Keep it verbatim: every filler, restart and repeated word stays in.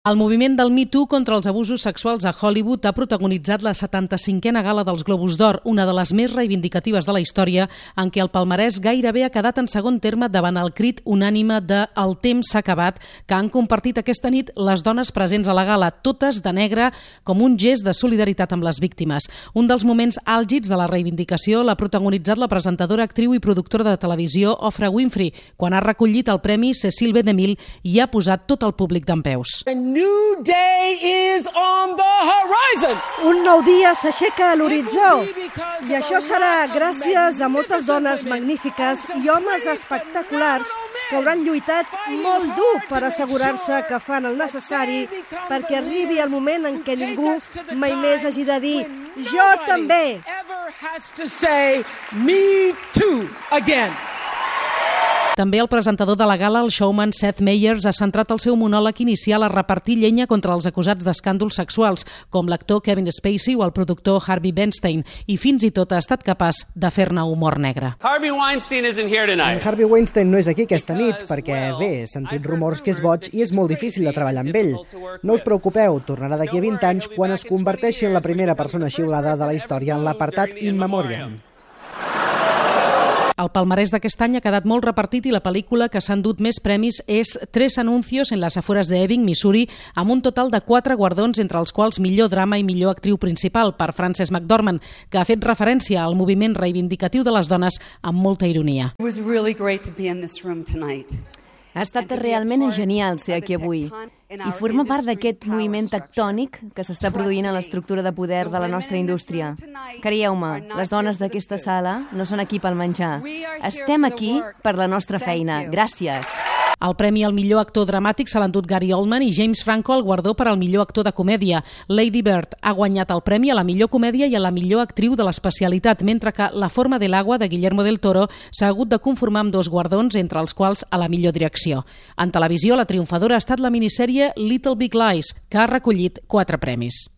El moviment del Me Too contra els abusos sexuals a Hollywood ha protagonitzat la setanta-cinquena gala dels Globus d'Or, una de les més reivindicatives de la història, en què el palmarès gairebé ha quedat en segon terme davant el crit unànime de "El temps s'ha acabat", que han compartit aquesta nit les dones presents a la gala, totes de negre, com un gest de solidaritat amb les víctimes. Un dels moments àlgids de la reivindicació l'ha protagonitzat la presentadora, actriu i productora de televisió Oprah Winfrey, quan ha recollit el premi Cecil B. DeMille i ha posat tot el públic dempeus. New day is on the horizon. Un nou dia s'aixeca a l'horitzó i això serà gràcies a moltes dones magnífiques i homes espectaculars que hauran lluitat molt dur per assegurar-se que fan el necessari perquè arribi el moment en què ningú mai més hagi de dir "jo també". També el presentador de la gala, el showman Seth Meyers, ha centrat el seu monòleg inicial a repartir llenya contra els acusats d'escàndols sexuals, com l'actor Kevin Spacey o el productor Harvey Weinstein, i fins i tot ha estat capaç de fer-ne humor negre. Harvey Weinstein isn't here tonight. En Harvey Weinstein no és aquí aquesta nit perquè, bé, he sentit rumors que és boig i és molt difícil de treballar amb ell. No us preocupeu, tornarà d'aquí a vint anys quan es converteixi en la primera persona xiulada de la història en l'apartat In Memoriam. El palmarès d'aquest any ha quedat molt repartit i la pel·lícula que s'ha endut més premis és Tres anuncios en las afueras de Ebbing, Missouri, amb un total de quatre guardons, entre els quals millor drama i millor actriu principal per Frances McDormand, que ha fet referència al moviment reivindicatiu de les dones amb molta ironia. It was really great to be in this room tonight. Ha estat realment genial ser aquí avui i formar part d'aquest moviment tectònic que s'està produint en l'estructura de poder de la nostra indústria. Creieu-me, les dones d'aquesta sala no són aquí pel menjar. Estem aquí per la nostra feina. Gràcies. El premi al millor actor dramàtic se l'ha endut Gary Oldman i James Franco el guardó per al millor actor de comèdia. Lady Bird ha guanyat el premi a la millor comèdia i a la millor actriu de l'especialitat, mentre que La forma del agua, de Guillermo del Toro, s'ha hagut de conformar amb dos guardons, entre els quals a la millor direcció. En televisió, la triomfadora ha estat la minissèrie Little Big Lies, que ha recollit quatre premis.